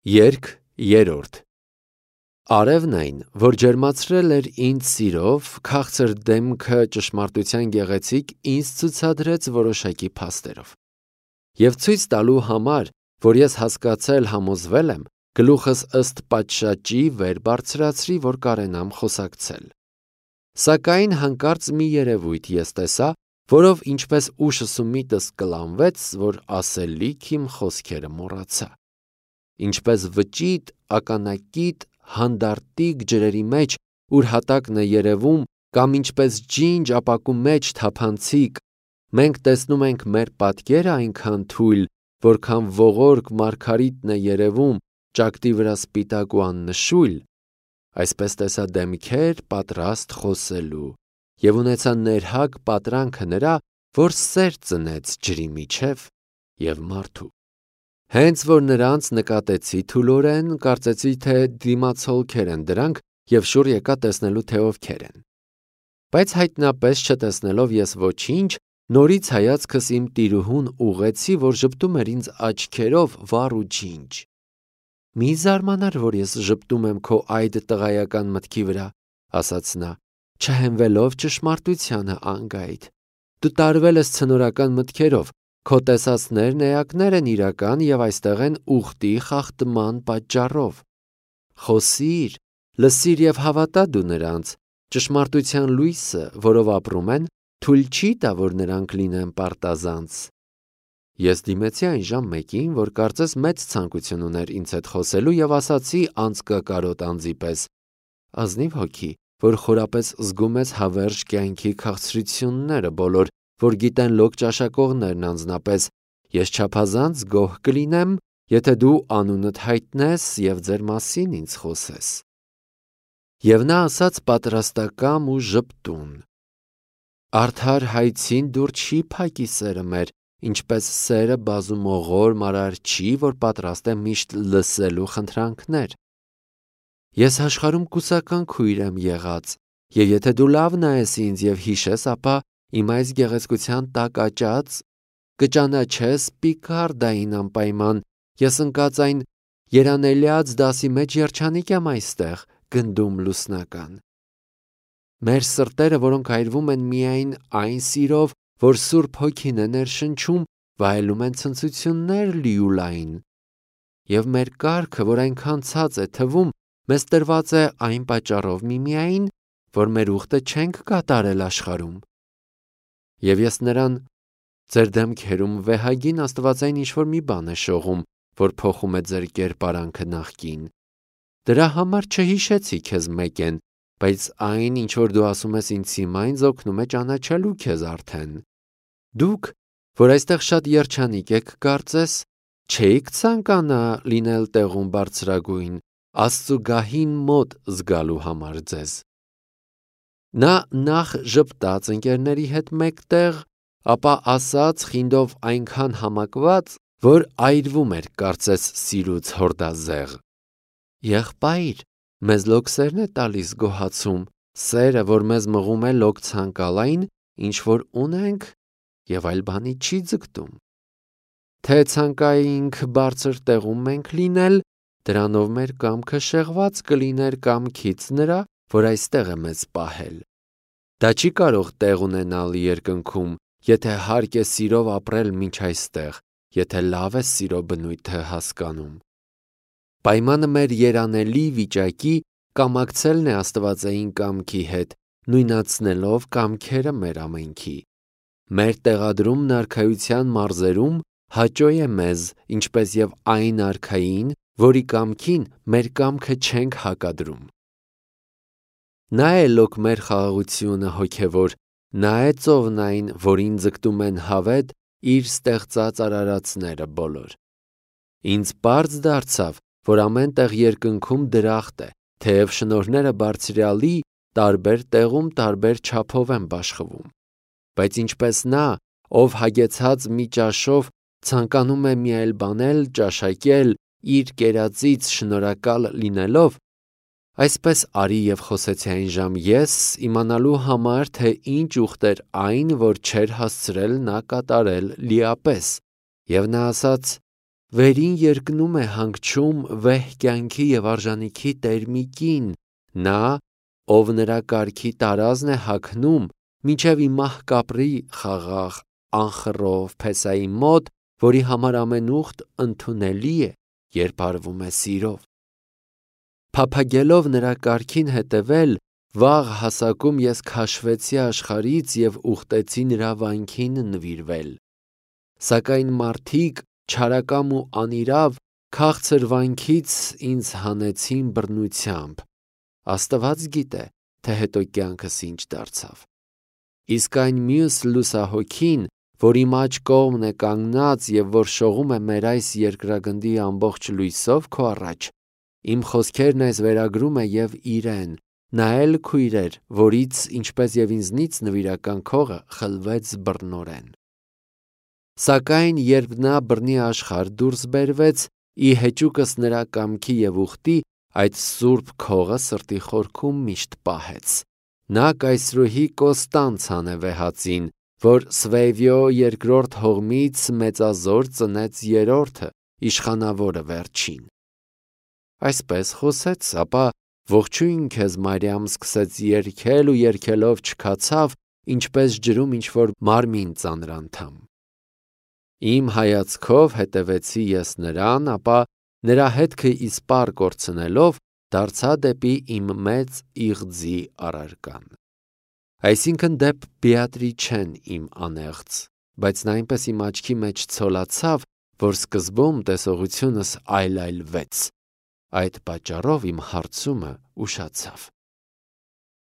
Երգ երրորդ Արևն այն, որ ջերմացրել էր ինձ սիրով, քաղցր դեմքը ճշմարտության գեղեցիկ ինձ ցուցադրեց որոշակի փաստերով։ Եվ ցույց տալու համար, որ ես հասկացել համոզվել եմ, գլուխս ըստ պատշաճի վեր բարձրացրի, որ կարենամ խոսակցել։ Սակայն հանկարծ մի երևույթ ես տեսա, որով ինչպես ուշս ու միտս կլանվեց, որ ասելիք իմ խոսքերը մոռացա։ Ինչպես վճիտ, ականակիտ, հանդարտիկ ջրերի մեջ, ուր հատակն է երևում, կամ ինչպես ջինջ ապակու մեջ թափանցիկ, մենք տեսնում ենք մեր պատկերը այնքան թույլ, որքան ողորկ մարգարիտն է երևում, ճակտի վրա սպիտակ ու աննշույլ, այսպես տեսա դեմքեր պատրաստ խոսելու, և ունեցա ներհակ պատրանքը նրա, որ սեր ծնեց ջրի միջև և մարդու։ Հենց որ նրանց նկատեցի թուլորեն, կարծեցի, թե դիմացոլքեր են դրանք և շուռ եկա տեսնելու, թե ովքեր են։ Բայց հայտնապես չտեսնելով ես ոչինչ, նորից հայացքս իմ տիրուհուն ուղղեցի, որ ժպտում էր ինձ աչքերով վառ ու ջինջ։ «Մի զարմանար, որ ես ժպտում եմ քո այդ տղայական մտքի վրա», ասաց նա, չհենվելով ճշմարտությանը անգայտ։ Դու տարվել ես ցնորական մտքերով, քո տեսածներն էակներ են իրական և այստեղ են ուխտի խախտման պատճառով։ Խոսիր, լսիր և հավատա դու նրանց, ճշմարտության լույսը, որով ապրում են, թույլ չի տա, որ նրանք լինեն պարտազանց։ Ես դիմեցի այն ժամ մեկին, որ կարծես մեծ ցանկություն ուներ ինձ հետ խոսելու և ասացի անձկակարոտ անձի պես. ազնիվ հոգի, որ խորապես զգում ես հավերժ կյանքի քաղցրությունները բոլոր, որ գիտեն լոկ ճաշակողներն անձնապես, ես չափազանց գոհ կլինեմ, եթե դու անունդ հայտնես և ձեր մասին ինձ խոսես։ Եվ նա ասաց պատրաստակամ ու ժպտուն. արդար հայցին դուր չի փակի սերը մեր, ինչպես սերը բազումողոր մարար չի, որ պատրաստ է միշտ լսելու խնդրանքներ։ Ես աշխարհում կուսական քույր եմ եղած, և եթե դու լավ նայես ինձ և հիշես, ապա իմ այս գեղեցկության տակ աճած կճանաչես Պիկարդային անպայման, ես ընկած այն երանելյաց դասի մեջ երջանիկ եմ այստեղ, գնդում լուսնական։ Մեր սրտերը, որոնք այրվում են միայն այն սիրով, որ Սուրբ Հոգին է ներշնչում, վայելում են ցնծություններ լիուլային։ Եվ մեր կարգը, որ այնքան ցած է թվում, մեզ տրված է այն պատճառով միմիայն, որ մեր ուխտը չենք կատարել աշխարհում։ Եվ ես նրան ձեր դեմքերում վեհագին աստվածային ինչ-որ մի բան է շողում, որ փոխում է ձեր կերպարանքը նախկին։ Դրա համար չհիշեցի քեզ մեկեն, բայց այն, ինչ որ դու ասում ես ինձ հիմա, ինձ օգնում է ճանաչելու քեզ արդեն։ Դուք, որ այստեղ շատ երջանիկ եք կարծես, չէիք ցանկանա լինել տեղում բարձրագույն, Աստծու գահին մոտ զգալու համար ձեզ։ Նա նախ ժպտաց ընկերների հետ մեկտեղ, ապա ասաց խինդով այնքան համակված, որ այրվում էր կարծես սիրուց հորդազեղ. եղբայր, մեզ լոկ սերն է տալիս գոհացում, սերը, որ մեզ մղում է լոկ ցանկալային, ինչ որ ունենք և այլ բանի չի ձգտում։ Թե ցանկայինք բարձր տեղում մենք լինել, դրանով մեր կամքը շեղված կլիներ կամքից նրա, որ այստեղ է մեզ պահել։ Դա չի կարող տեղ ունենալ երկնքում, եթե հարկ է սիրով ապրել մինչ այստեղ, եթե լավ է սիրո բնույթը հասկանում։ Պայմանը մեր երանելի վիճակի կամակցելն է աստվածային կամքի հետ, նույնացնելով կամքերը մեր ամենքի։ Մեր տեղադրումն արքայության մարզերում հաճո է մեզ, ինչպես և այն արքային, որի կամքին մեր կամքը չենք հակադրում։ Նա է լոկ մեր խաղաղությունը հոգևոր, նա է ծովն այն, որին ձգտում են հավետ իր ստեղծած արարածները բոլոր։ Ինձ պարզ դարձավ, որ ամեն տեղ երկնքում դրախտ է, թեև շնորհները բարձրյալի տարբեր տեղում տարբեր չափով են բաշխվում։ Բայց ինչպես նա, ով հագեցած մի ճաշով ցանկանում է մի այլ բան էլ ճաշակել իր կերածից շնորհակալ լինելով, այսպես արի և խոսեցի այն ժամ ես իմանալու համար, թե ինչ ուխտ էր այն, որ չէր հասցրել նա կատարել լիապես։ Եվ նա ասաց. վերին երկնում է հանգչում վեհ կյանքի և արժանիքի տերմիկին, նա, ով նրա կարգի տարազն է հագնում, մինչև իմահ կապրի խաղաղ անխռով փեսայի մոտ, որի համար ամեն ուխտ ընդունելի է, երբ արվում է սիրով։ Փափագելով նրա կարգին հետևել, վաղ հասակում ես քաշվեցի աշխարհից և ուխտեցի նրա վանքին նվիրվել։ Սակայն մարդիկ չարակամ ու անիրավ քաղցր վանքից ինձ հանեցին բռնությամբ։ Աստված գիտե, թե հետո կյանքս ինչ դարձավ։ Իսկ այն մյուս լուսահոգին, որ իմ աջ կողմն է կանգնած և որ շողում է մեր այս երկրագնդի ամբողջ լույսով քո առաջ, իմ խոսքերն այս վերագրում է և իրեն, նա էլ քույր էր, որից, ինչպես և ինձնից, նվիրական քողը խլվեց բռնորեն։ Սակայն երբ նա բռնի աշխարհ դուրս բերվեց, ի հեճուկս նրա կամքի և ուխտի, այդ սուրբ քողը սրտի խորքում միշտ պահեց։ Նա կայսրուհի Կոստանց անեվեհածին, որ Սվեյվիո երկրորդ հողմից մեծազոր ծնեց երրորդը, իշխանավորը վերջին։ Այսպես խոսեց, ապա ողջույն քեզ Մարիամ սկսեց երգել ու երգելով չքացավ, ինչպես ջրում ինչ-որ մարմին ծանրանդամ։ Իմ հայացքով հետևեցի ես նրան, ապա նրա հետքը իսպառ կորցնելով, դարձա դեպի իմ մեծ իղձի առարկան։ Այսինքն դեպ Բեատրիչեն իմ անեղծ, բայց նա այնպես իմ աչքի մեջ ցոլացավ, որ սկզբում տեսողությունս այլայլվեց։ Այդ պատճառով իմ հարցումը ուշացավ։